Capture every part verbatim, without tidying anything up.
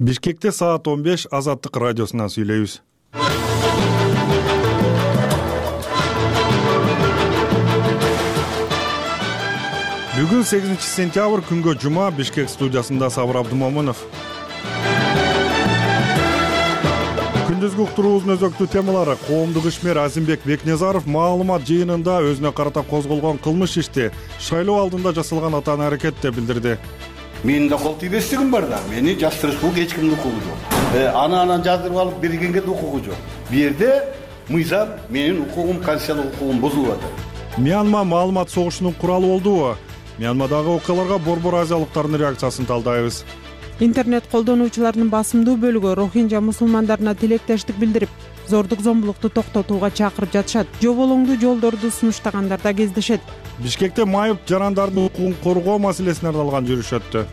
Бишкекте саат он беш Азаттык радиосунан сүйлөйбүз. Бүгүн сегизинчи сентябрь күнгө жума. Бишкек студиясында Сабыр Абдымомунов. Күндүзгү уктуруубуздун өзөктүү темалары: коомдук ишмер Азимбек Бекназаров маалымат жыйынында өзүнө карата козголгон кылмыш ишти шайлоо алдында жасалган атаан аракет деп билдирди. Менин да кол тийбестигим бар да, мени жастырышпыл эч кимдин укугу жок. Аны анан жаздырып алып бергенге да укугу жок. Бу жерде мыйзам, менин укугум, конституциялык укугум бузулуп атат. Мьянма маалымат согушунун куралы болдубу? Мьянмадагы окуяларга Борбор Азиялыктардын реакциясын талдайбыз. Интернет колдонуучуларынын басымдуу бөлүгү Рохинжа мусулмандарына тилектештик билдирип, зордук зомбулукту токтотууга чакырып жатышат. Жоболоңдуу жолдорду сунуштагандар да кездешет. Бишкекте майып жарандардын укугун коргоо маселесине арналган жүрүш өттү.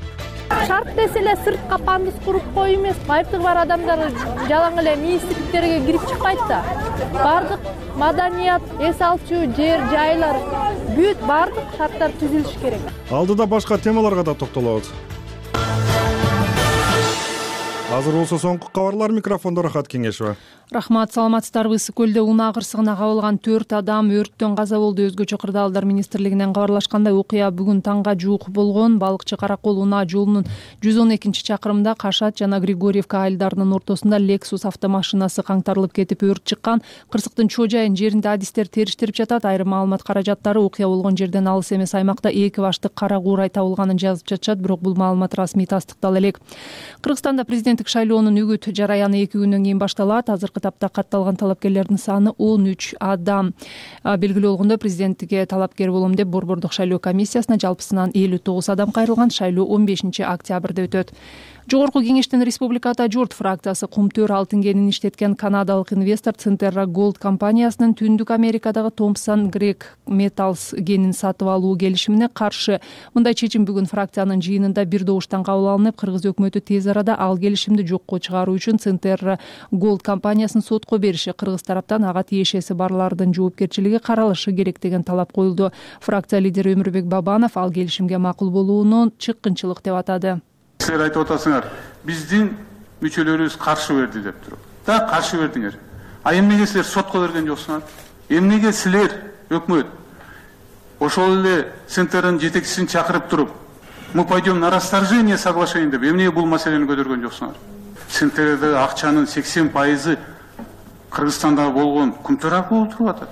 Шарт десе эле сыртка пандус куруп кой эмес, майыптыгы бар адамдар жалаң эле мейиздиктерге кирип чыкпайт да. Бардык маданият, эс алчу жер жайлар бүт бардык шарттар түзүлүш керек. Алдыда башка темаларга да токтолобуз. Азыр болсо соңку кабарлар. Микрофондо Рахат Кеңешева. Рахмат, саламатсыздарбы? Ысык көлдө унаа кырсыгына кабылган төрт адам өрттөн каза болду. Өзгөчө кырдаалдар министрлигинен кабарлашкандай, окуя бүгүн таңга жуук болгон. Балыкчы Каракол унаа жолунун жүз он экинчи чакырымында Кашат жана Григорьевка айылдарынын ортосунда Lexus автомашинасы каңтарылып кетип өрт чыккан. Кырсыктын чоо жайын жеринде адистер териштирип жатат. Айрым маалымат каражаттары окуя болгон жерден алыс эмес аймакта эки баштык кара куурай табылганын жазып жатышат, бирок бул маалымат расмий тастыктала элек. Кыргызстанда президенттик шайлоонун үгүт жараяны эки күндөн кийин башталат. Азыркы тапта катталган талапкерлердин саны он үч адам. Белгилүү болгондой, президенттикке талапкер болом деп Борбордук шайлоо комиссиясына жалпысынан элүү тогуз адам кайрылган. Шайлоо он бешинчи октябрда өтөт. Жогорку кеңештин Республиката журт фракциясы кумтөр алтын кенин иштеткен канадалык инвестор Centerra Gold компаниясынын Түндүк Америкадагы Thompson Greg Metals кенин сатып алуу келишимине каршы. Мындай чечим бүгүн фракциянын жыйынында бир добуштан кабыл алынып, кыргыз өкмөтү тез арада ал келишимди жокко чыгаруу үчүн Centerra Gold компаниясын сотко бериши, кыргыз тараптан ага тиешеси барлардын жоопкерчилиги каралышы керек деген талап коюлду. Фракция лидери Өмүрбек Бабанов ал келишимге макул болууну чыккынчылык деп атады. Силер айтып атасыңар, биздин мүчөлөрүбүз каршы берди деп туруп. Да, каршы бердиңер. А эмнеге силер сотко берген жоксуңар? Эмнеге силер өкмөт ошол эле Центрдин жетекчисин чакырып туруп, мы пойдем на расторжение соглашения деп эмнеге бул маселени көтөргөн жоксуңар? Центрдагы акчанын сексен пайызы Кыргызстанда болгон кумтөр аркылуу туруп атат.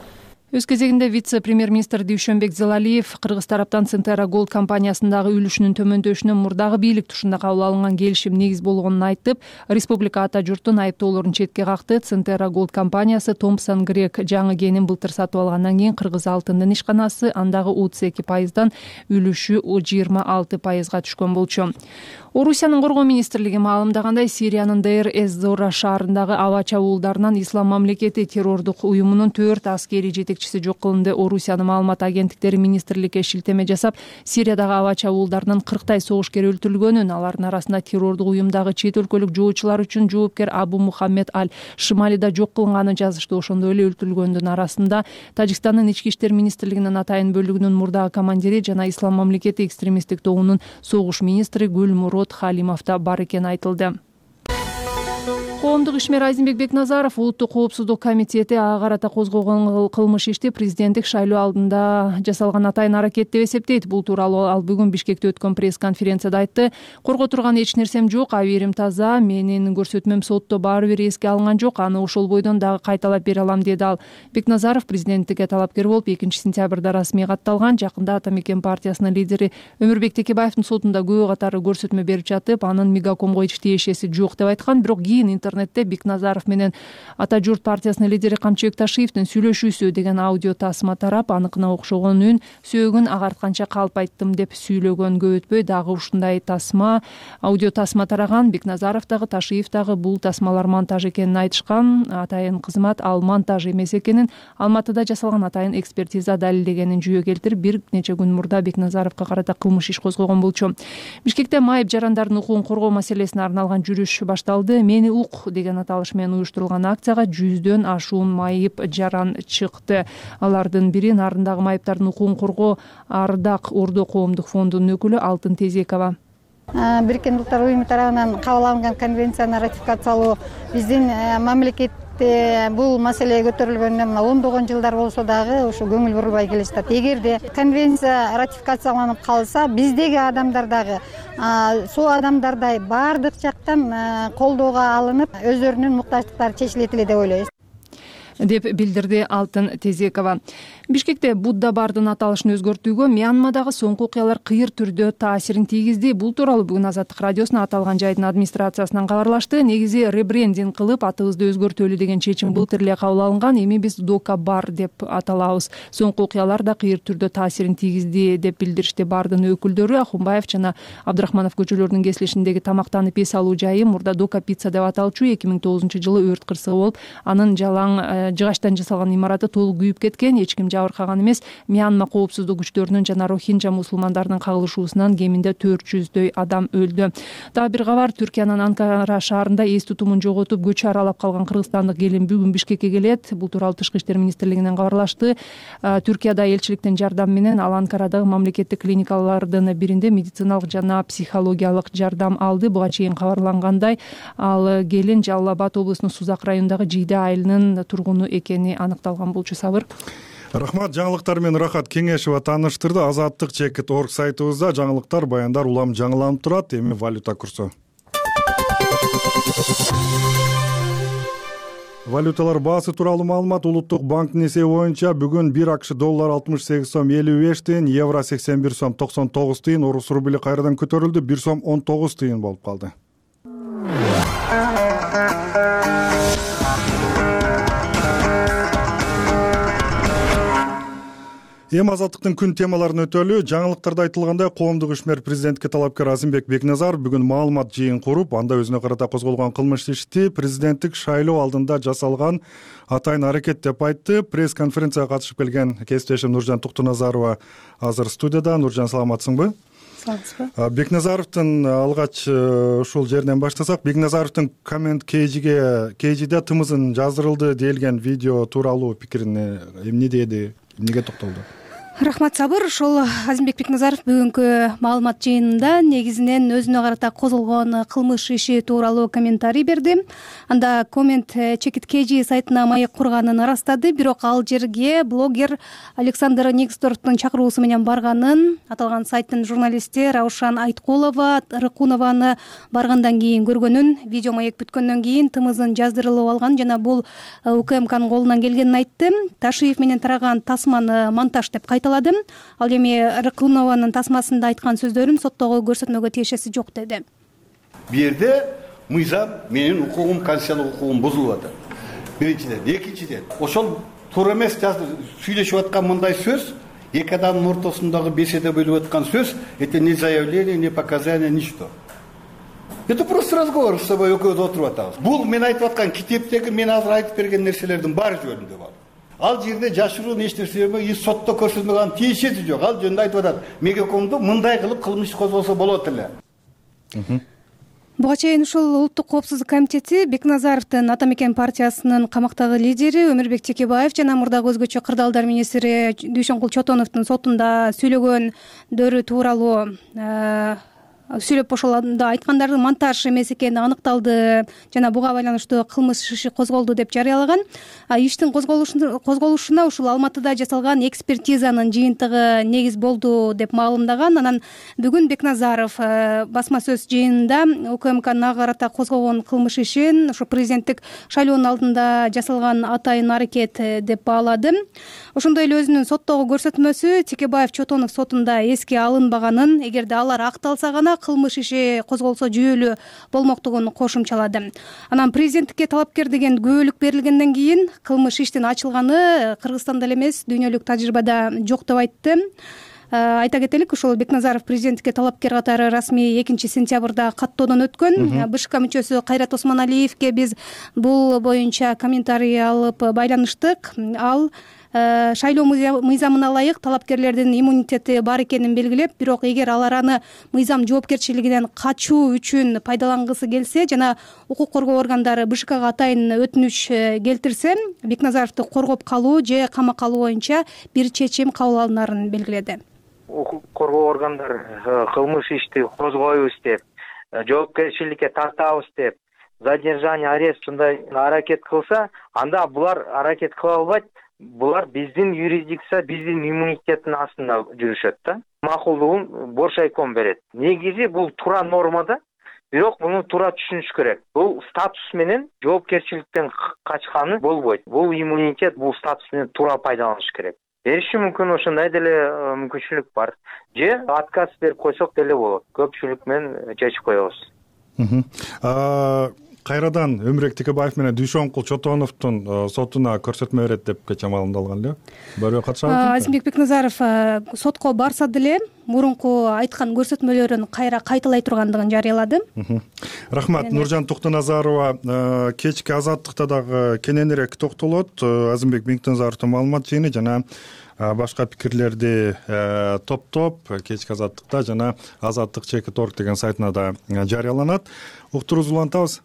Өз кезегинде вице-премьер-министр Дүйшөнбек Зелалиев Кыргыз тараптан Centerra Gold компаниясындагы үлүшүнүн төмөндөшүнө мурдагы бийлик тушунда кабыл алынган келишим негиз болгонун айтып, республика ата журттун айыптоолорун четке какты. Centerra Gold компаниясы Thompson Greg жаңы кенин былтыр сатып алгандан кийин Кыргыз алтындын ишканасы андагы отуз эки пайыздан үлүшү жыйырма алты пайызга түшкөн болчу. Орусиянын коргоо министрлиги маалымдагандай, Сириянын Дейр эз-Зора шаарындагы аба чабуулдарынан Ислам мамлекети террордук уюмунун төрт аскери жетекчиси жок кылынды. Орусиянын маалымат агенттиктери министрликке шилтеме жасап, Сириядагы аба чабуулдарынын кырктай согушкер өлтүрүлгөнүн, алардын арасында террордук уюмдагы чет өлкөлүк жоочулар үчүн жоопкер Абу Мухаммед аль-Шималида жок кылынганын жазышты. Ошондой эле өлтүрүлгөндүн арасында Тажикстандын ички иштер министрлигинин атайын бөлүгүнүн мурдагы командири жана Ислам мамлекети экстремисттик тобунун согуш министри Гүлмурод Халимовда бар экени айтылды. Коомдук ишмер Азимбек Бекназаров Улуттук коопсуздук комитети ага карата козгогон кылмыш ишти президенттик шайлоо алдында жасалган атайын аракет деп эсептейт. Бул тууралуу ал бүгүн Бишкекте өткөн пресс-конференцияда айтты. Корго турган эч нерсем жок, абийирим таза, менин көрсөтмөм сотто баары бир эске алынган жок, аны ошол бойдон дагы кайталап бере алам деди ал. Бекназаров президенттикке талапкер болуп экинчи сентябрда расмий катталган. Жакында Ата Мекен партиясынын лидери Өмүрбек Текебаевдин сотунда күбө катары көрсөтмө берип жатып, анын Мегакомго эч тиешеси жок деп айткан. Бирок кийин интернетте Бекназаров менен Ата журт партиясынын лидери Камчыбек Ташиевдин сүйлөшүүсү деген аудио тасма тарап, аныкына окшогон үн сөөгүн агартканча калп айттым деп сүйлөгөн. Көп өтпөй дагы ушундай тасма, аудио тасма тараган. Бекназаров дагы Ташиев дагы бул тасмалар монтаж экенин айтышкан. Атайын кызмат ал монтаж эмес экенин, Алматыда жасалган атайын экспертиза далилдегенин жүйө келтирип, бир нече күн мурда Бекназаровго карата кылмыш иш козгогон болчу. Бишкекте майып жарандардын укугун коргоо маселесине арналган жүрүш башталды. Мени ук деген аталыш менен уюштурулган акцияга жүздөн ашуун майып жаран чыкты. Алардын бири Нарындагы майыптардын укугун коргоо Ардак Ордо коомдук фондунун өкүлү Алтын Тезекова. Бириккен Улуттар уюму тарабынан кабыл алынган конвенцияны ратификациялоо биздин мамлекетте бул маселе көтөрүлгөнүнө мына ондогон жылдар болсо дагы ушу көңүл бурулбай келатат. Эгерде конвенция ратификацияланып калса, биздеги адамдар дагы суу адамдардай баардык жактан колдоого алынып, өздөрүнүн муктаждыктары чечилет эле деп ойлойбуз, деп билдирди Алтын Тезекова. Бишкекте Будда бардын аталышын өзгөртүүгө Мьянмадагы соңку окуялар кыйыр түрдө таасирин тийгизди. Бул тууралуу бүгүн Азаттык радиосуна аталган жайдын администрациясынан кабарлашты. Негизи ребрендинг кылып атыбызды өзгөртөлү деген чечим былтыр эле кабыл алынган. Эми биз Дока бар деп аталабыз. Соңку окуялар да кыйыр түрдө таасирин тийгизди деп билдиришти бардын өкүлдөрү. Ахунбаев жана Абдрахманов көчөлөрүнүн кесилишиндеги тамактанып эс алуу жайы мурда Дока пицца деп аталчу. эки миң тогузунчу жылы өрт кырсыгы болуп, анын жалаң жыгачтан жасалган имараты толук күйүп кеткен. Эч ким жабыркаган эмес. Мьянма коопсуздук күчтөрүнүн жана рохинжа мусулмандарынын кагылышуусунан кеминде төрт жүздөй адам өлдү. Дагы бир кабар, Түркиянын Анкара шаарында эс тутумун жоготуп көчө аралап калган кыргызстандык келин бүгүн Бишкекке келет. Бул тууралуу Тышкы иштер министрлигинен кабарлашты. Түркияда элчиликтин жардамы менен ал Анкарадагы мамлекеттик клиникалардын биринде медициналык жана психологиялык жардам алды. Буга чейин кабарлангандай, ал келин Жалал Абад облусунун Сузак районундагы Жийде айылынын тургуну экени аныкталган. Болчу Сабыр. Рахмат. Жаңылыктар менен Рахат Кеңешева тааныштырды. Азаттык чекит орг сайтыбызда жаңылыктар, баяндар улам жаңыланып турат. Эми валюта курсу. Валюталар баасы тууралуу маалымат. Улуттук банктын эсеби боюнча бүгүн бир акш доллар алтымыш сегиз сом элүү беш тыйын, евро сексен бир сом токсон тогуз тыйын, орус рубли кайрадан көтөрүлдү, бир сом он тогуз тыйын болуп калды. Эми азаттыктын күн темаларын өтөлү. Жаңылыктарда айтылгандай, коомдук ишмер президентке талапкер Азимбек Бекназаров бүгүн маалымат жыйын куруп, анда өзүнө карата козголгон кылмыш ишти президенттик шайлоо алдында жасалган атайын аракет деп айтты. Пресс-конференцияга катышып келген кесиптешим Нуржан Туктуназарова азыр студияда. Нуржан, саламатсыңбы? Саламатсызбы? Бекназаровдун алгач ушул жерден баштасак, Бекназаровдун коммент кейжиге кейжиде тымызын жаздырылды делген видео тууралуу пикирин эмне деди, эмнеге токтолду? Рахмат, Сабыр. Ошол Азимбек Бекназаров бүгүнкү маалымат жыйынында негизинен өзүнө карата козголгон кылмыш иши тууралуу комментарий берди. Анда коммент чекит kg сайтына маек курганын ырастады, бирок ал жерге блогер Александр Нигсдорфтун чакыруусу менен барганын, аталган сайттын журналисти Раушан Айткулова Рыкунованы баргандан кийин көргөнүн, видео маек бүткөндөн кийин тымызын жаздырылып алган жана бул УКМКнын колунан келгенин айтты. Ташиев менен тараган тасманы монтаж деп кайталады. Ал эми Рыкунованын тасмасында айткан сөздөрүн соттогу көрсөтмөгө тиешеси жок деди. Бу жерде мыйзам, менин укугум, конституциялык укугум бузулуп атат. Биринчиден, экинчиден, ошол туура эмес сүйлөшүп аткан мындай сөз, эки адамдын ортосундагы беседа болуп аткан сөз, это не заявление, не показание, ничто. Это просто разговор, с собой экөөбүз отуруп атабыз. Бул мен айтып аткан китептеги мен азыр айтып берген нерселердин баары жөнүндө бар. Ал жерде жашыруун эч нерсе эме, сотто көрсөтмөгөн тиешеси жок. Ал жөнүндө айтып атат. Мегакомду мындай кылып кылмыш козголсо болот эле. Буга чейин ушул Улуттук коопсуздук комитети Бекназаровдун Ата Мекен партиясынын камактагы лидери Өмүрбек Текебаев жана мурдагы өзгөчө кырдаалдар министри Дүйшөнкул Чотоновдун сотунда сүйлөгөндөрү тууралуу сүйлөп ошолордо айткандардын монтаж эмес экени аныкталды жана буга байланыштуу кылмыш иши козголду деп жарыялаган. Иштин козголушуна ушул Алматыда жасалган экспертизанын жыйынтыгы негиз болду деп маалымдаган. Анан бүгүн Бекназаров басма сөз жыйынында УКМКнын карата козгогон кылмыш ишин ушу президенттик шайлоонун алдында жасалган атайын аракет деп баалады. Ошондой эле өзүнүн соттогу көрсөтмөсү Текебаев Чотонов сотунда эске алынбаганын, эгерде алар акталса гана кылмыш иши козголсо жүйөлүү болмоктугун кошумчалады. Анан президенттикке талапкер деген күбөлүк берилгенден кийин кылмыш иштин ачылганы Кыргызстанда эле эмес, дүйнөлүк тажрыйбада жок деп айтты. Айта кетелик, ошол Бекназаров президенттикке талапкер катары расмий экинчи сентябрда каттоодон өткөн. БШК мүчөсү Кайрат Осмоналиевке биз бул боюнча комментарий алып байланыштык. Ал шайлоо мыйзамына ылайык талапкерлердин иммунитети бар экенин белгилеп, бирок эгер алар аны мыйзам жоопкерчилигинен качуу үчүн пайдалангысы келсе жана укук коргоо органдары БШКга атайын өтүнүч келтирсе, Бекназаровду коргоп калуу же камакка алуу боюнча бир чечим кабыл алынарын белгиледи. укук коргоо органдары кылмыш ишти козгойбуз деп, жоопкерчиликке тартабыз деп, задержание, арест ушундай аракет кылса, анда булар аракет кыла албайт. Булар биздин юрисдикция, биздин иммунитеттин астында жүрүшөт да. Макулдугун Боршайком берет. Негизи бул туура нормада, бирок муну туура түшүнүш керек. Бул статус менен жоопкерчиликтен качканы болбойт. Бул иммунитет, бул статус менен туура пайдаланыш керек. Бериши мүмкүн, ошондой деле мүмкүнчүлүк бар. Же отказ берип койсок деле болот. Көпчүлүк менен чечип коебуз. Кайрадан Өмүрбек Текебаев менен Дүйшөнкул Чотоновдун сотуна көрсөтмө берет деп кечээ маалымдалган эле. Бирөө катышабызбы? Азимбек Бекназаров сотко барса деле мурунку айткан көрсөтмөлөрүн кайра кайталай тургандыгын жарыялады. Рахмат. Нуржан Токтоназарова кечки Азаттыкта дагы кененирээк токтолот. Азимбек Бекназаровдун маалымат жыйыны жана башка пикирлерди топтоп кечки Азаттыкта жана азаттык чекит точка орг деген сайтына да жарыяланат. Уктурууңузду улантабыз.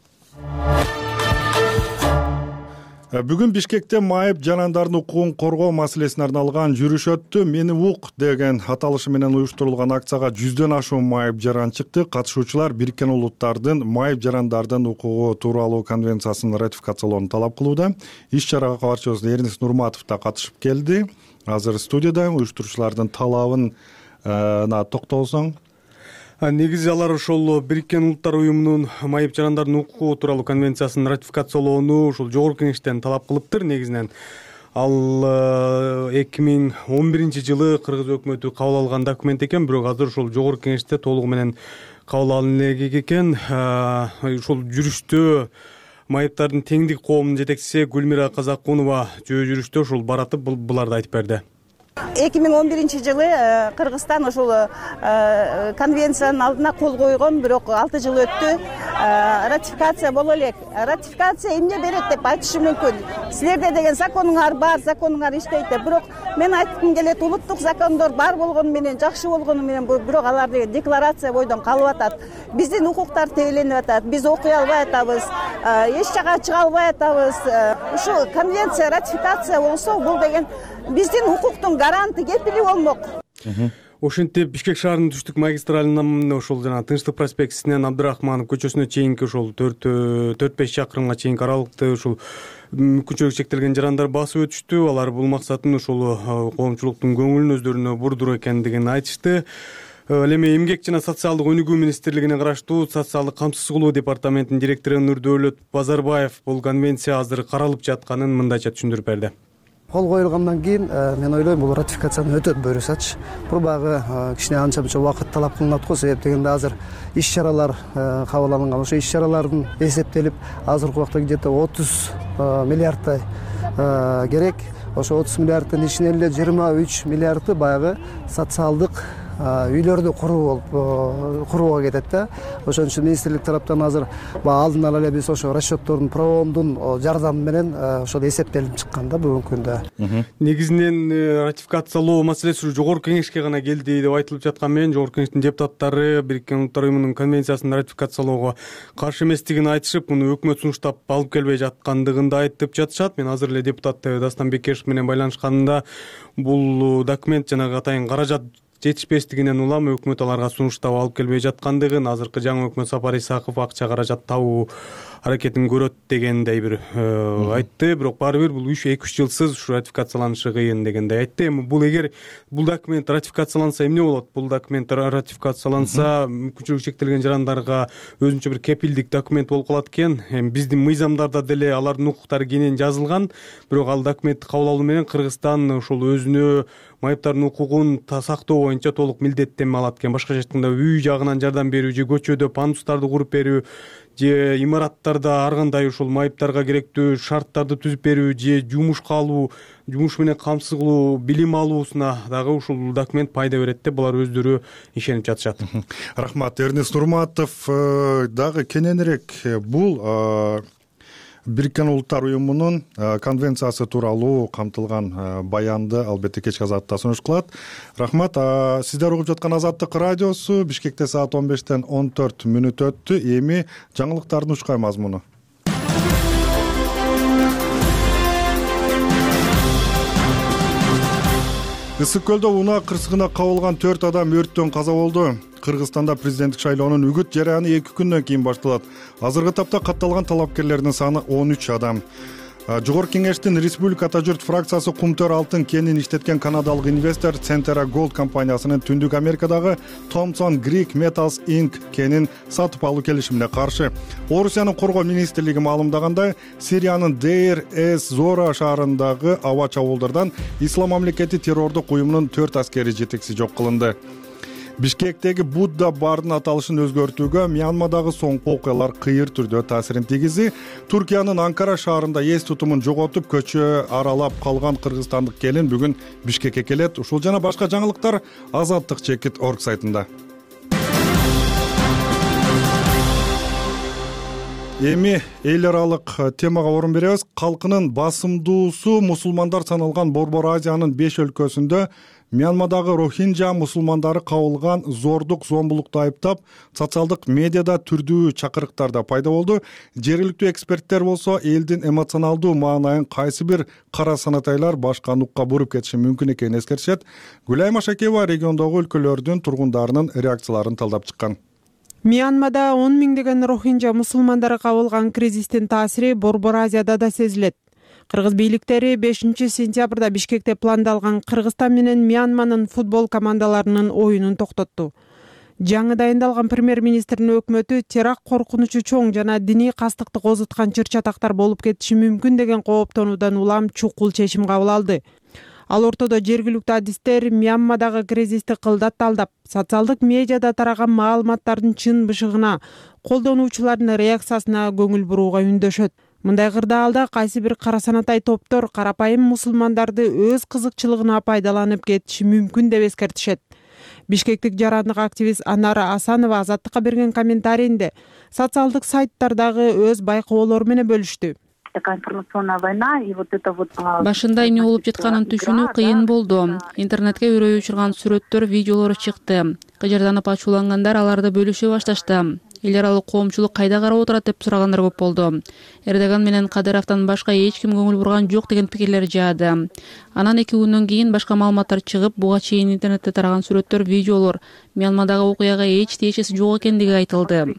Бүгүн Бишкекте майып жанандардын укугун коргоо маселесине арналган жүрүш өттү. Мени ук деген аталышы менен уюштурулган акцияга жүздөн ашуун майып жаран чыкты. Катышуучулар Бириккен Улуттардын майып жарандардын укугу тууралуу конвенциясын ратификациялоону талап кылууда. Иш чарага кабарчыбыз Эрнис Нурматов да катышып келди. Азыр студияда уюштуруучулардын талабына токтолсоң. Негизи алар ошол Бириккен Улуттар уюмунун майып жарандардын укугу тууралуу конвенциясын ратификациялоону ушул жогорку кеңештен талап кылыптыр. Негизинен ал эки миң он биринчи жылы кыргыз өкмөтү кабыл алган документ экен, бирок азыр ушул жогорку кеңеште толугу менен кабыл алынган элек экен. Ушул жүрүштө майыптардын теңдик коомунун жетекчиси Гүлмира Казакунова жөө жүрүштө ушул баратып буларды айтып берди. эки миң он биринчи жылы Кыргызстан ошол конвенциянын алдына кол койгон, бирок алты жыл өттү. Ратификация боло элек. Ратификация эмне берет деп айтышы мүмкүн. Силерде деген законуңар бар, законуңар иштейт деп. Бирок мен айткым келет, улуттук закондор бар болгону менен, жакшы болгону менен, бирок алар деген декларация бойдон калып атат. Биздин укуктар тебеленип атат. Биз окуй албай атабыз. Эч жака чыга албай атабыз. Ушул конвенция ратификация болсо, бул деген биздин укуктун гаранты кепили болмок. Ошентип Бишкек шаарынын түштүк магистралынан ошол жана Тынчтык проспектисинен Абдырахманов көчөсүнө чейинки ошол төрт беш чакырымга чейинки аралыкты ушул мүмкүнчүлүгү чектелген жарандар басып өтүштү. Алар бул максатын ошол коомчулуктун көңүлүн өздөрүнө бурдуруу экендигин айтышты. Ал эми Эмгек жана социалдык өнүгүү министрлигине караштуу социалдык камсыз кылуу департаментинин директору Нурдөөлөт Базарбаев бул конвенция азыр каралып жатканын мындайча түшүндүрүп берди. Кол коюлгандан кийин мен ойлойм бул ратификацияны өтө буюрсачы. Бул багы кичине анча мынча убакыт талап кылынат го, себеп дегенде азыр иш чаралар кабыл алынган. Ошо иш чаралардын эсептелип азыркы убакта где-то отуз миллиардтай керек. Ошо отуз миллиардтын ичинен эле жыйырма үч миллиарды баягы социалдык үйлөрдү куруу болуп курууга кетет да. Ошон үчүн министрлик тараптан азыр алдын ала эле биз ошо расчеттордун правомдун жардамы менен ошол эсептелип чыккан да бүгүнкү күндө. Негизинен ратификациялоо маселеси жогорку кеңешке гана келди деп айтылып жаткан менен жогорку кеңештин депутаттары Бириккен Улуттар уюмунун конвенциясын ратификациялоого каршы эместигин айтышып, муну өкмөт сунуштап алып келбей жаткандыгын да айтып жатышат. Мен азыр эле депутат Дастан Бекешев менен байланышканда бул документ жанагы атайын каражат жетишпестигинен улам өкмөт аларга сунуштап алып келбей жаткандыгын, азыркы жаңы өкмөт Сапар Исаков акча каражат табуу аракетин көрөт дегендей бир айтты. Бирок баары бир бул эки үч жылсыз ушу ратификацияланышы кыйын дегендей айтты. Эми бул эгер бул документ ратификацияланса эмне болот? Бул документ ратификацияланса мүмкүнчүлүгү чектелген жарандарга өзүнчө бир кепилдик документ болуп калат экен. Эми биздин мыйзамдарда деле алардын укуктары кенен жазылган, бирок ал документти кабыл алуу менен Кыргызстан ошол өзүнө майыптардын укугун сактоо боюнча толук милдеттенме алат экен. Башкача айтканда үй жагынан жардам берүү же көчөдө пандустарды куруп берүү же имараттарда ар кандай ушул майыптарга керектүү шарттарды түзүп берүү же жумушка алуу, жумуш менен камсыз кылуу, билим алуусуна дагы ушул документ пайда берет деп булар өздөрү ишенип жатышат. Рахмат. Эрнис Нурматов дагы кененирээк бул Бириккен Улуттар уюмунун конвенциясы тууралуу камтылган баянды албетте кечки Азаттыкта сунуш кылат. Рахмат. Сиздер угуп жаткан Азаттык радиосу. Бишкекте саат он бештен он төрт мүнөт өттү. Эми жаңылыктардын учкай мазмуну. Ысык көлдө унаа кырсыгына кабылган төрт адам өрттөн каза болду. Кыргызстанда президенттик шайлоонун үгүт жараяны эки күндөн кийин башталат. Азыркы тапта катталган талапкерлердин саны он үч адам. Жогорку кеңештин Республика Ата журт фракциясы кумтөр алтын кенин иштеткен канадалык инвестор Centera Gold компаниясынын Түндүк Америкадагы Thompson Greek Metals Incorporated кенин сатып алуу келишимине каршы. Орусиянын коргоо министрлиги маалымдагандай, Сириянын Дейр-эз-Зора шаарындагы аба чабуулдардан Ислам мамлекети террордук уюмунун төрт аскери жетекчиси жок кылынды. Бишкектеги Будда бардын аталышын өзгөртүүгө Мьянмадагы соңку окуялар кыйыр түрдө таасирин тийгизди. Туркиянын Анкара шаарында эс тутумун жоготуп көчө аралап калган кыргызстандык келин бүгүн Бишкекке келет. Ушул жана башка жаңылыктар Азаттык чекит орг сайтында. Эми эл аралык темага орун беребиз. Калкынын басымдуусу мусулмандар саналган Борбор Азиянын беш өлкөсүндө Мьянмадагы рохинжа мусулмандары кабылган зордук зомбулукту айыптап, социалдык медиада түрдүү чакырыктар да пайда болду. Жергиликтүү эксперттер болсо элдин эмоционалдуу маанайын кайсы бир кара санатайлар башка нукка буруп кетиши мүмкүн экенин эскертишет. Гүлайым Ашакеева региондогу өлкөлөрдүн тургундарынын реакцияларын талдап чыккан. Мьянмада он миңдеген рохинжа мусулмандары кабылган кризистин таасири Борбор Азияда да сезилет. Кыргыз бийликтери бешинчи сентябрда Бишкекте пландалган Кыргызстан менен Мьянманын футбол командаларынын оюнун токтотту. Жаңы дайындалган премьер-министрдин өкмөтү теракт коркунучу чоң жана диний кастыкты козуткан чыр-чатактар болуп кетиши мүмкүн деген кооптонуудан улам чукул чечим кабыл алды. Ал ортодо жергиликтүү адистер Мьянмадагы кризисти кылдат талдап, социалдык медиада тараган маалыматтардын чын бышыгына, колдонуучулардын реакциясына көңүл бурууга үндөшөт. Мындай кырдаалда кайсы бир кара санатай топтор карапайым мусулмандарды өз кызыкчылыгына пайдаланып кетиши мүмкүн деп эскертишет. Бишкектик жарандык активист Анара Асанова Азаттыкка берген комментарийинде социалдык сайттардагы өз байкоолору менен бөлүштү. Башында эмне болуп жатканын түшүнүү кыйын болду. Интернетке үрөй учурган сүрөттөр, видеолор чыкты. Кыжырданып ачуулангандар аларды бөлүшө башташты. Эл аралык коомчулук кайда карап отурат деп сурагандар көп болду. Эрдоган менен Кадыровдон башка эч ким көңүл бурган жок деген пикирлер жаады. Анан эки күндөн кийин башка маалыматтар чыгып, буга чейин интернетте тараган сүрөттөр, видеолор Мьянмадагы окуяга эч тиешеси жок экендиги айтылды.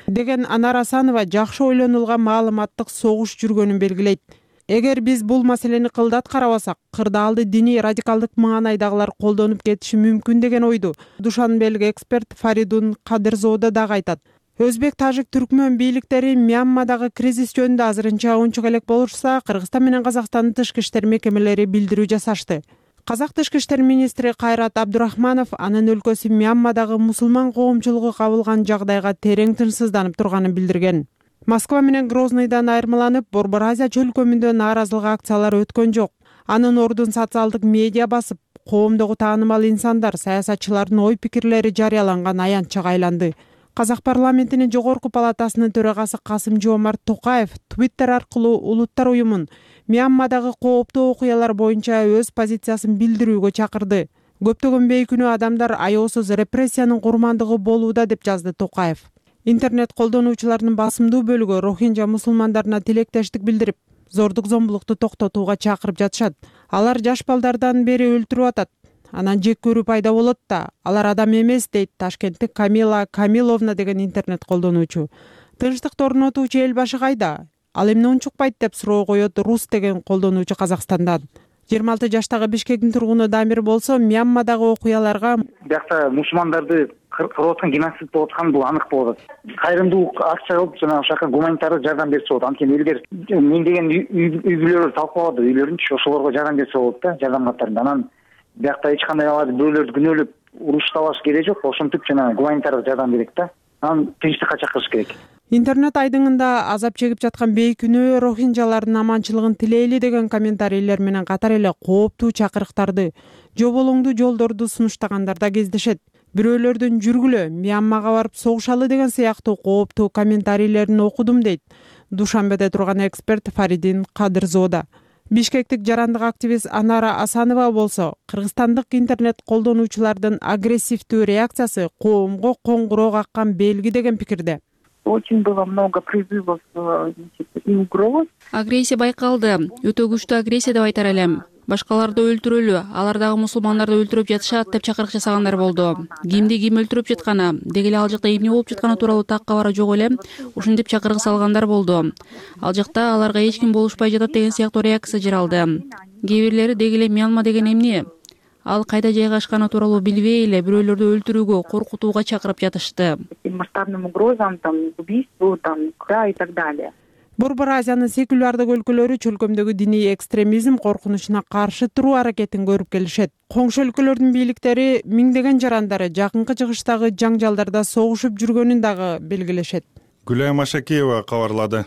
Деген Анара Асанова жакшы ойлонулган маалыматтык согуш жүргөнүн белгилейт. Эгер биз бул маселени кылдат карабасак, кырдаалды диний радикалдык маанайдагылар колдонуп кетиши мүмкүн деген ойду Душанбелик эксперт Фаридун Кадырзода дагы айтат. Өзбек, тажик, түркмөн бийликтери Мьянмадагы кризис жөнүндө азырынча унчук элек болушса, Кыргызстан менен Казакстандын тышкы иштер мекемелери билдирүү жасашты. Казак тышкы иштер министри Кайрат Абдурахманов анын өлкөсү Мьянмадагы мусулман коомчулугу кабылган жагдайга терең тынчсызданып турганын билдирген. Москва менен Грозныйдан айырмаланып, Борбор Азия чөлкөмүндө нааразылык акциялары өткөн жок. Анын ордун социалдык медиа басып, коомдогу таанымал инсандар, саясатчылардын ой пикирлери жарыяланган аянтчага айланды. Казак парламентинин жогорку палатасынын төрагасы Касым-Жомарт Токаев Твиттер аркылуу улуттар уюмун Мьянмадагы кооптуу окуялар боюнча өз позициясын билдирүүгө чакырды. Көптөгөн бейкүнөө адамдар аяосуз репрессиянын курмандыгы болууда деп жазды Токаев. Интернет колдонуучуларынын басымдуу бөлүгү рохинжа мусулмандарына тилектештик билдирип, зордук зомбулукту токтотууга чакырып жатышат. Алар жаш балдардан бери өлтүрүп атат. Анан жек көрүү пайда болот да, алар адам эмес, дейт Ташкенттик Камила Камиловна деген интернет колдонуучу. Тынчтыкты орнотуучу эл башы кайда? Ал эмне унчукпайт деп суроо коет Рус деген колдонуучу Казакстандан. жыйырма алты жаштагы Бишкектин тургуну Дамир болсо, Мьянмадагы окуяларга биякта мусулмандарды кырып аткан геноцид болуп атканы бул анык болот. Кайрымдуулук акча кылып жана ошака гуманитардык жардам берсе болот. Анткени элдер миңдеген үй бүлөлөр талкалады, үйлөрүнчү ошолорго жардам берсе болот да, жардам каттарында. Анан биякта эч кандай аларды бөөлөрдү күнөөлөп уруштабаш керек жок, ошентип жана гуманитардык жардам керек да. Анан тынчтыкка чакырыш керек. Интернет айдыңында азап чегип жаткан бейкүнөө рохинжалардын аманчылыгын тилейли деген комментарийлер менен катар эле кооптуу чакырыктарды, жоболоңдуу жолдорду сунуштагандар да кездешет. Бирөөлөрдүн жүргүлө, Мьянмага барып согушалы деген сыяктуу кооптуу комментарийлерин окудум, дейт Душанбеде турган эксперт Фаридин Кадырзода. Бишкектик жарандык активист Анара Асанова болсо, кыргызстандык интернет колдонуучулардын агрессивдүү реакциясы коомго коңгуроо каккан белги деген пикирде. Очень было много призывов и угроз. Агрессия байкалды. Өтө күчтүү агрессия деп айтар элем. Башкаларды өлтүрөлү, алар дагы мусулмандарды өлтүрүп жатышат деп чакырык жасагандар болду. Кимди ким өлтүрүп жатканы, деги эле ал жакта эмне болуп жатканы тууралуу так кабары жок эле, ушинтип чакырык салгандар болду. Ал жакта аларга эч ким болушпай жатат деген сыяктуу реакция жаралды. Кээ бирлери деги эле Мьянма деген эмне? Ал кайда жайгашканы тууралуу билбей эле бирөөлөрдү өлтүрүүгө, коркутууга чакырып жатышты. Масштабным угрозам, там, убийству, там, да, и так далее. Борбор Азиянын секулярдык өлкөлөрү чөлкөмдөгү диний экстремизм коркунучуна каршы туруу аракетин көрүп келишет. Коңшу өлкөлөрдүн бийликтери миңдеген жарандары жакынкы чыгыштагы жаңжалдарда согушуп жүргөнүн дагы белгилешет. Гүлайым Ашакеева кабарлады.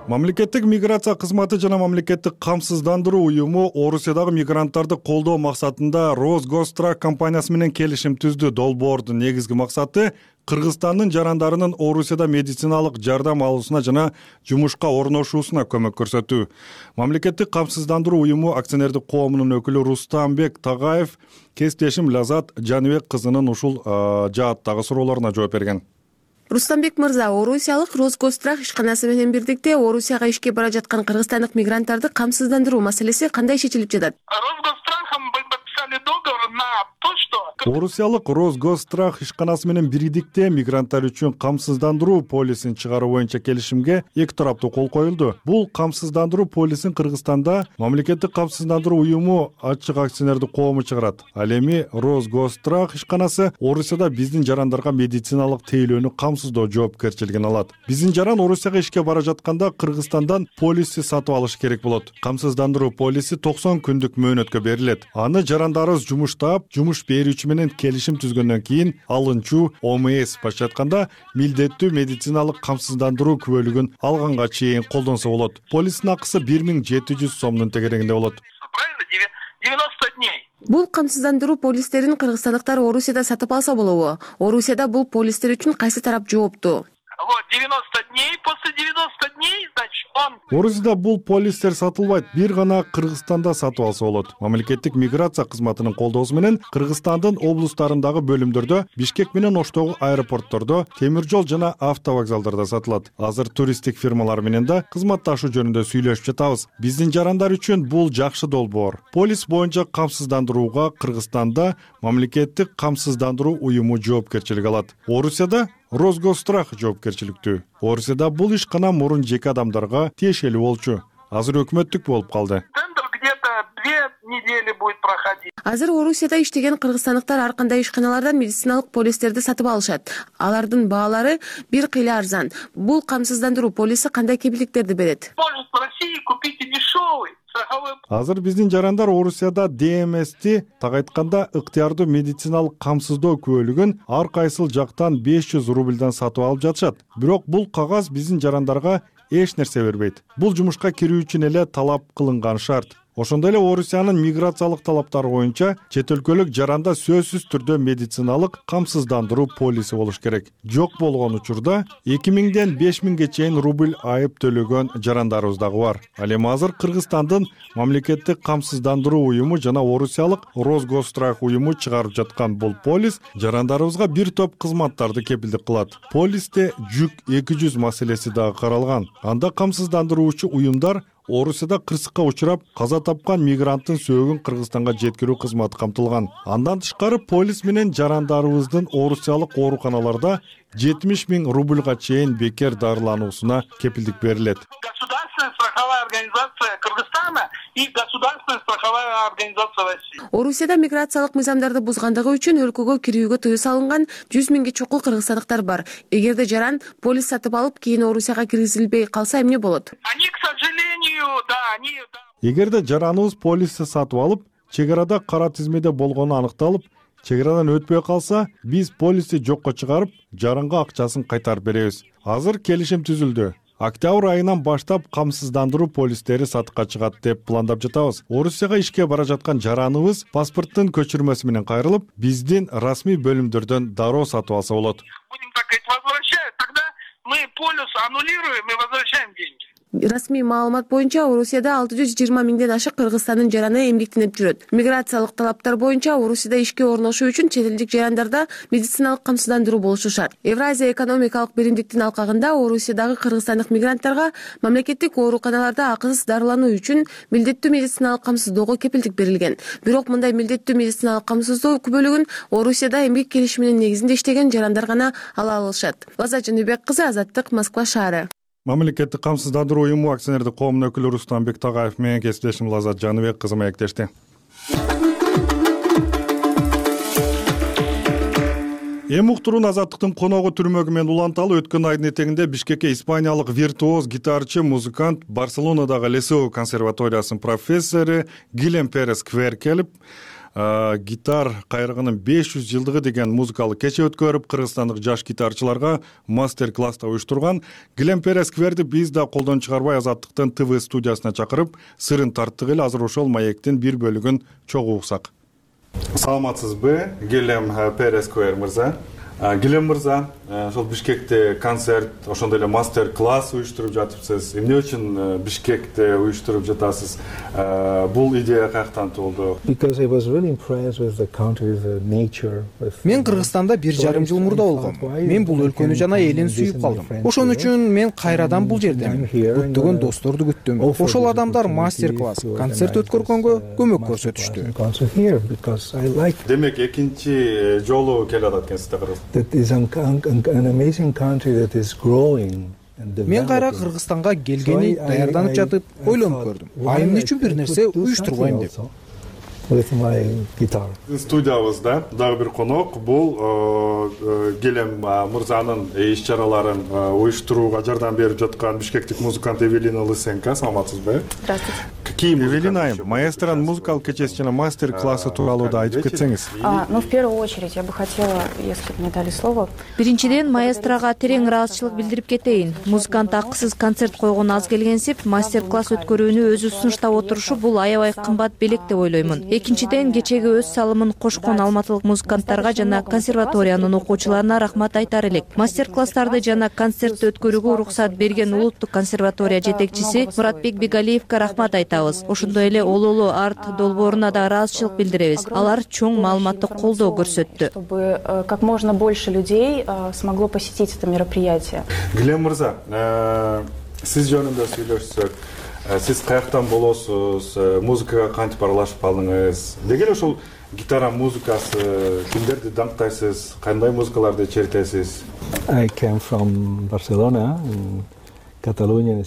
Мамлекеттик миграция кызматы жана мамлекеттик камсыздандыруу уюму Орусиядагы мигранттарды колдоо максатында Росгострах компаниясы менен келишим түздү. Долбоордун негизги максаты Кыргызстандын жарандарынын Орусияда медициналык жардам алуусуна жана жумушка орношуусуна көмөк көрсөтүү. Мамлекеттик камсыздандыруу уюму акционердик коомунун өкүлү Рустамбек Тагаев кесиптешим Лазат Жаныбек кызынын ушул жааттагы суроолоруна жооп берген. Рустамбек мырза, Орусиялык Росгострах ишканасы менен бирдикте Орусияга ишке бара жаткан кыргызстандык мигранттарды камсыздандыруу маселеси кандай шешилип жатат? Орусиялык Росгострах ишканасы менен бирдикте мигранттар үчүн камсыздандыруу полисин чыгаруу боюнча келишимге эки тараптуу кол коюлду. Бул камсыздандыруу полисин Кыргызстанда мамлекеттик камсыздандыруу уюму ачык акционердик коому чыгарат. Ал эми Росгострах ишканасы Орусияда биздин жарандарга медициналык тейлөөнү камсыздоо жоопкерчилигин алат. Биздин жаран Орусияга ишке бара жатканда Кыргызстандан полисти сатып алыш керек болот. Камсыздандыруу полиси токсон күндүк мөөнөткө берилет. Аны жарандарыбыз жумуштап, жумуш берүүчү менен келишим түзгөндөн кийин алынчу О М С башка айтканда милдеттүү медициналык камсыздандыруу күбөлүгүн алганга чейин колдонсо болот. Полистин акысы бир миң жети жүз сомдун тегерегинде болот. Бул камсыздандыруу полистерин кыргызстандыктар Орусияда сатып алса болобу? Орусияда бул полистер үчүн кайсы тарап жооптуу? девяносто дней, после девяноста дней, значит, он... Орусияда бул полистер сатылбайт, бир гана Кыргызстанда сатып алса болот. Мамлекеттик миграция кызматынын колдоосу менен Кыргызстандын облустарындагы бөлүмдөрдө, Бишкек менен Оштогу аэропорттордо, темир жол жана автовокзалдарда сатылат. Азыр туристтик фирмалар менен да кызматташуу жөнүндө сүйлөшүп жатабыз. Биздин жарандар үчүн бул жакшы долбоор. Полис боюнча камсыздандырууга Кыргызстанда мамлекеттик камсыздандыруу уюму жоопкерчилик алат. Орусияда Росгострах жоопкерчиликтүү. Орусияда бул ишкана мурун жеке адамдарга тиешелүү болчу. Азыр өкмөттүк болуп калды. Азыр Орусияда иштеген кыргызстандыктар ар кандай ишканалардан медициналык полистерди сатып алышат. Алардын баалары бир кыйла арзан. Бул камсыздандыруу полиси кандай кепилдиктерди берет? Может в России купить и дешевый. Азыр биздин жарандар Орусияда Д М Сти так айтканда ыктыярдуу медициналык камсыздоо күбөлүгүн ар кайсыл жактан беш жүз рубльдан сатып алып жатышат. Бирок бул кагаз биздин жарандарга эч нерсе бербейт. Бул жумушка кирүү үчүн эле талап кылынган шарт. Ошондой эле Орусиянын миграциялык талаптары боюнча чет өлкөлүк жаранда сөзсүз түрдө медициналык камсыздандыруу полиси болуш керек. Жок болгон учурда эки миңден беш миңге чейин рубль айып төлөгөн жарандарыбыз дагы бар. Ал эми азыр Кыргызстандын мамлекеттик камсыздандыруу уюму жана Орусиялык Росгострах уюму чыгарып жаткан бул полис жарандарыбызга бир топ кызматтарды кепилдик кылат. Полисте жүк эки жүз маселеси дагы каралган. Анда камсыздандыруучу уюмдар Орусияда кырсыкка учурап каза тапкан мигранттын сөөгүн Кыргызстанга жеткирүү кызматы камтылган. Андан тышкары полис менен жарандарыбыздын Орусиялык ооруканаларда жетимиш миң рубльга чейин бекер дарылануусуна кепилдик берилет. Государственная страховая организация Кыргызстана и государственная страховая организация России. Орусияда миграциялык мыйзамдарды бузгандыгы үчүн өлкөгө кирүүгө тыюу салынган жүз миңге чокул кыргызстандыктар бар. Эгерде жаран полис сатып алып, кийин Орусияга киргизилбей калса эмне болот? Они, к сожалению, да, они... Эгерде жараныбыз полисти сатып алып, чек арада кара тизмеде болгону аныкталып, чек арадан өтпөй калса, биз полисти жокко чыгарып, жаранга акчасын кайтарып беребиз. Азыр келишим түзүлдү. Октябрь айынан баштап камсыздандыруу полистери сатыкка чыгат деп пландап жатабыз. Орусияга ишке бара жаткан жараныбыз паспорттун көчүрмөсү менен кайрылып, биздин расмий бөлүмдөрдөн дароо сатып алса болот. Будем так говорить, возвращают, тогда мы полис аннулируем и возвращаем деньги. Расмий маалымат боюнча Орусияда алты жүз жыйырма миңден ашык кыргызстандын жараны эмгектенип жүрөт. Миграциялык талаптар боюнча Орусияда ишке орношуу үчүн чет элдик жарандарда медициналык камсыздандыруу болушу шарт. Евразия экономикалык биримдиктин алкагында Орусиядагы кыргызстандык мигранттарга мамлекеттик ооруканаларда акысыз дарылануу үчүн милдеттүү медициналык камсыздоого кепилдик берилген. Бирок мындай милдеттүү медициналык камсыздоо бөлүгүн Орусияда эмгек келишиминин негизинде иштеген жарандар гана ала алышат. Лаза Жаныбек кызы, Азаттык, Москва шаары. Мамлекеттик камсыздандыруу уюму акционердик коомунун өкүлү Рустам Бектагаев менен кесиптешим Лазат Жаныбек кызы маектешти. Эми уктуруун Азаттыктын коногу түрмөгү менен уланталы өткөн айдын этегинде Бишкекке испаниялык виртуоз гитарчы, музыкант, Барселонадагы Лесеу консерваториясынын профессору Гилем Перес Квер келип, гитар кайрыгынын беш жүз жылдыгы деген музыкалык кече өткөрүп, кыргызстандык жаш гитарчыларга мастер-класста уюштурган. Гилем Перес Кверди биз да колдон чыгарбай Азаттыктын ТВ студиясына чакырып, сырын тарттык эле. Азыр ошол маектин бир бөлүгүн чогуу уксак. Саламатсызбы, Гилем Перес Квер мырза? Гилем мырза, ошол Бишкекте концерт, ошондой эле мастер-класс уюштуруп жатыпсыз. Эмне үчүн Бишкекте уюштуруп жатасыз? Бул идея каяктан туулду? Мен Кыргызстанда бир жарым жыл мурда болгом. Мен бул өлкөнү жана элин сүйүп калдым. Ошон үчүн мен кайрадан бул жердемин. Көптөгөн досторду күттүм. Ошол адамдар мастер-класс, концерт өткөргөнгө көмөк көрсөтүштү. Демек, экинчи жолу келатат экенсиз. Мен кайра Кыргызстанга келгени даярданып жатып ойлонуп көрдүм. А эмне үчүн бир нерсе уюштурбайм деп. Студиябызда дагы бир конок, бул Гилем мырзанын иш чараларын уюштурууга жардам берип жаткан бишкектик музыкант Эвелина Лысенко. Саламатсызбы? Здравствуйте. Эвелина айым, маэстронун музыкалык кечеси жана мастер-классы тууралуу да айтып кетсеңиз. Ну, в первую очередь, я бы хотела, если бы мне дали слово. Биринчиден, маэстрога терең ыраазычылык билдирип кетейин. Музыкант акысыз концерт койгон аз келгенсип, мастер-класс өткөрүүнү өзү сунуштап отурушу бул аябай кымбат белек деп ойлоймун. Экинчиден, кечеги өз салымын кошкон алматылык музыканттарга жана консерваториянын окуучуларына рахмат айтар элек. Мастер-класстарды жана концертти өткөрүүгө уруксат берген улуттук консерватория жетекчиси Муратбек Бегалиевке рахмат айтабыз. Ошондой эле Ололу арт долбооруна да ыраазычылык билдиребиз. Алар чоң маалыматтык колдоо көрсөттү. Чтобы как можно больше людей смогло посетить это мероприятие. Гилем мырза, сиз жөнүндө сүйлөшсөк, сиз каяктан болосуз, музыкага кантип аралашып калдыңыз? Деги эле ошол гитара музыкасы, кимдерди даңктайсыз, кандай музыкаларды чертесиз? I came from Barcelona.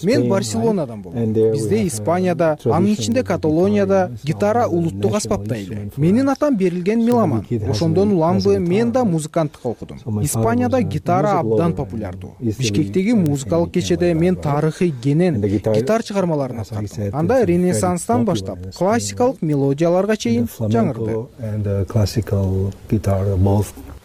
Мен Барселонадан болдум. Бизде Испанияда, анын ичинде Каталонияда гитара улуттук аспапта эле. Менин атам берилген меломан. Ошондон уламбы мен да музыканттык окудум. Испанияда гитара абдан популярдуу. Бишкектеги музыкалык кечеде мен тарыхый кенен гитар чыгармаларын аткардым. Анда Ренессанстан баштап классикалык мелодияларга чейин жаңырды.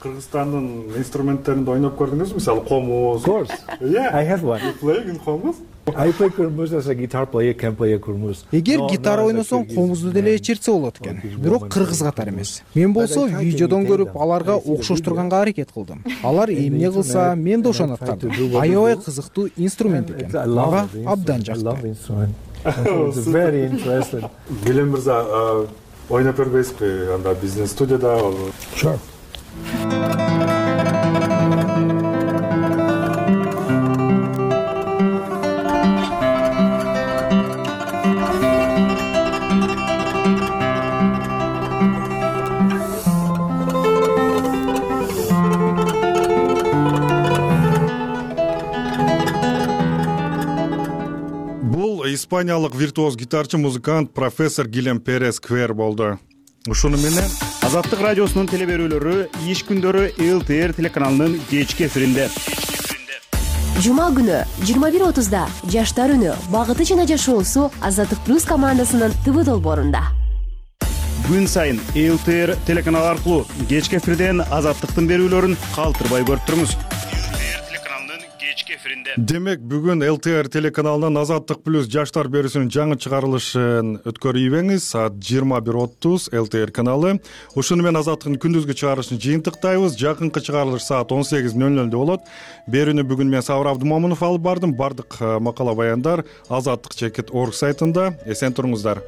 Кыргызстандын инструменттеринде ойноп көрдүңүзбү? Мисалы, комуз. Of course. Yeah. I have one. You play in комуз? I play kurmuz as a guitar player, can play a kurmuz. Эгер гитара ойносоң, комузду деле чертсе болот экен. Бирок кыргыз катары эмес. Мен болсо видеодон көрүп аларга окшоштурганга аракет кылдым. Алар эмне кылса, мен да ошону аткардым. Аябай кызыктуу инструмент экен. Мага абдан жакты. Very interesting. Гилем мырза, ойноп көрбөйсүзбү? Анда биздин студияда. Sure. Испаниялык виртуоз гитарчы, музыкант, профессор Гилем Перес Квер болду. Ушуну менен Азаттык радиосунун теле берүүлөрү иш күндөрү эл тэ эр телеканалынын кечки эфиринде. Жума күнү жыйырма бир отузда Жаштар үнү багыты жана жашоосу Азаттык плюс командасынын ТВ долбоорунда. Күн сайын эл тэ эр телеканалы аркылуу кечки эфирден Азаттыктын берүүлөрүн калтырбай көрүп туруңуз. эл тэ эр телеканалынын кечки эфиринде. Демек бүгүн эл тэ эр телеканалынан Азаттык плюс жаштар берүүсүнүн жаңы чыгарылышын өткөрүйбеңиз. Саат жыйырма бир отуз эл тэ эр каналы. Ушуну менен Азаттыктын күндүзгү чыгарылышын жыйынтыктайбыз. Жакынкы чыгарылыш саат он сегиз нөл нөлдө болот. Берүүнү бүгүн мен Сабыр Абдымомунов алып бардым. Бардык макала баяндар азаттык чекит орг сайтында. Эсен туруңуздар.